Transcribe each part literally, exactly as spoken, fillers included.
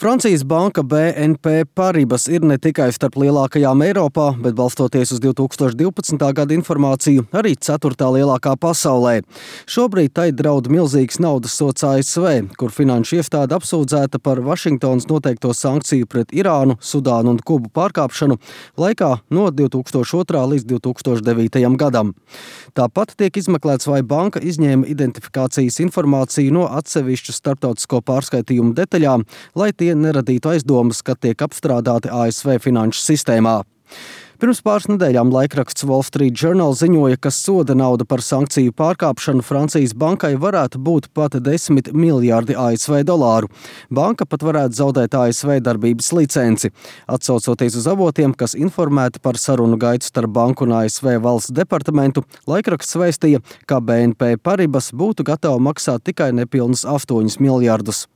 Francijas banka B N P Paribas ir ne tikai starp lielākajām Eiropā, bet balstoties uz divi tūkstoši divpadsmitā gada informāciju, arī ceturtā lielākā pasaulē. Šobrīd tai draud milzīgs naudas sods A S V, kur finanšu iestāde apsūdzēta par Vašingtonas noteikto sankciju pret Irānu, Sudānu un Kubu pārkāpšanu laikā no divi tūkstoši otrā līdz divi tūkstoši devītajam gadam. Tāpat tiek izmeklēts, vai banka izņēma identifikācijas informāciju no atsevišķu starptautisko pārskaitījumu detaļām, lai tie neradītu aizdomas, ka tiek apstrādāti A S V finanšu sistēmā. Pirms pāris nedēļām laikraksts Wall Street Journal ziņoja, ka soda nauda par sankciju pārkāpšanu Francijas bankai varētu būt pat desmit miljārdi A S V dolāru. Banka pat varētu zaudēt A S V darbības licenci. Atsaucoties uz avotiem, kas informēti par sarunu gaitu starp banku un A S V valsts departamentu, laikraksts vēstīja, ka B N P Paribas būtu gatava maksāt tikai nepilnus astoņus miljārdus.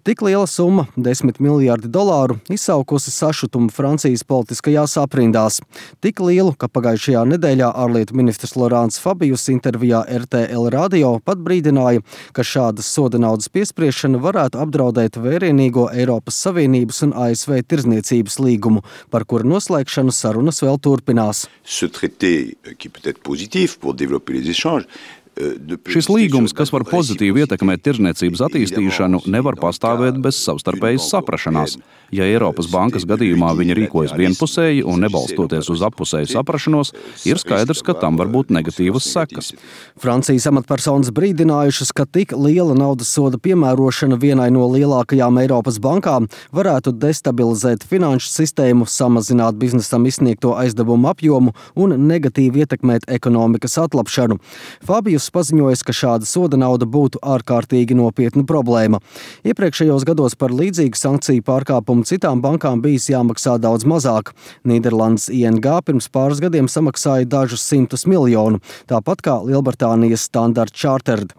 Tik liela summa, desmit miljārdi dolāru, izsaukusi sašutumu Francijas politiskajās aprindās. Tik lielu, ka pagājušajā nedēļā ārlietu ministrs Laurents Fabius intervijā R T L radio pat brīdināja, ka šādas soda naudas piespriešana varētu apdraudēt vērienīgo Eiropas Savienības un A S V tirdzniecības līgumu, par kuru noslēgšanu sarunas vēl turpinās. Ce traité, qui peut être positif pour développer les échanges, Šis līgums, kas var pozitīvi ietekmēt tirdzniecības attīstīšanu, nevar pastāvēt bez savstarpējas saprašanās. Ja Eiropas bankas gadījumā viņi rīkojas vienpusēji un nebalstoties uz appusēju saprašanos, ir skaidrs, ka tam var būt negatīvas sekas. Francijas amatpersonas brīdinājušas, ka tik liela naudas soda piemērošana vienai no lielākajām Eiropas bankām varētu destabilizēt finanšu sistēmu, samazināt biznesam izsniegto aizdevumu apjomu un negatīvi ietekmēt ekonomikas atlapšanu. Fabijus paziņojas, ka šāda soda nauda būtu ārkārtīgi nopietna problēma. Iepriekšējos gados par līdzīgu sankciju pārkāpumu citām bankām bijis jāmaksā daudz mazāk. Nīderlandes I N G pirms pāris gadiem samaksāja dažus simtus miljonu, tāpat kā Lielbritānijas Standard Chartered.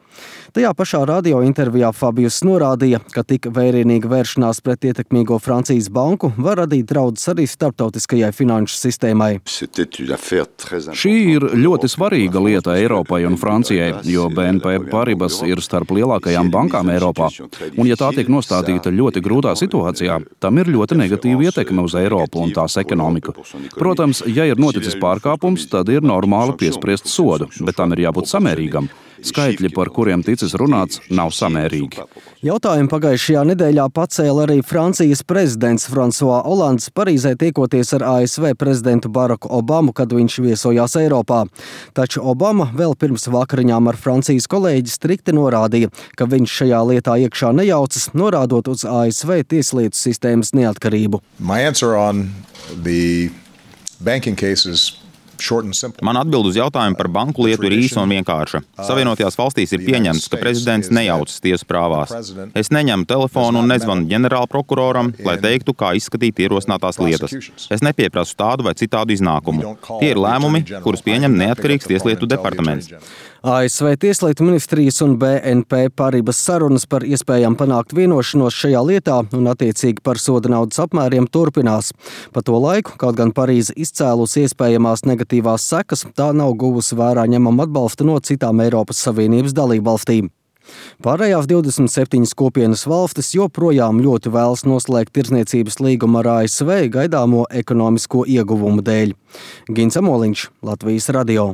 Tajā pašā radio intervijā Fabius norādīja, ka tik vērienīga vēršanās pret ietekmīgo Francijas banku var radīt draudus arī starptautiskajai finanšu sistēmai. Šī ir ļoti svarīga lieta Eiropai un Francijai, jo B N P Paribas ir starp lielākajām bankām Eiropā. Un ja tā tiek nostādīta ļoti grūtā situācijā, tam ir ļoti negatīva ietekme uz Eiropu un tās ekonomiku. Protams, ja ir noticis pārkāpums, tad ir normāli piespriest sodu, bet tam ir jābūt samērīgam. Skaitļi, par kuriem ticis runāts, nav samērīgi. Jautājumu pagājušajā nedēļā pacēla arī Francijas prezidents François Hollands, Parīzē tiekoties ar A S V prezidentu Baraku Obamu, kad viņš viesojās Eiropā. Taču Obama vēl pirms vakariņām ar Francijas kolēģi strikti norādīja, ka viņš šajā lietā iekšā nejaucas, norādot uz A S V tieslietu sistēmas neatkarību. My answer on the banking cases Man atbild uz jautājumu par banku lietu ir īsa un vienkārša. Savienotajās valstīs ir pieņemts, ka prezidents nejaucas tiesu prāvās. Es neņemu telefonu un nezvanu ģenerālprokuroram, lai teiktu, kā izskatīt ierosinātās lietas. Es nepieprasu tādu vai citādu iznākumu. Tie ir lēmumi, kurus pieņem neatkarīgs tieslietu departaments. A S V tieslietu ministrijas un B N P Paribas sarunas par iespējām panākt vienošanos šajā lietā un attiecīgi par soda naudas apmēriem turpinās. Pa to laiku, kaut gan Parīze izcēlusi iespējamās negatīvās sekas, tā nav guvusi vērā ņemam atbalstu no citām Eiropas Savienības dalībvalstīm. Pārējās divdesmit septiņas kopienas valstis joprojām ļoti vēlas noslēgt tirdzniecības līgumu ar A S V gaidāmo ekonomisko ieguvumu dēļ. Gins Amoliņš, Latvijas radio.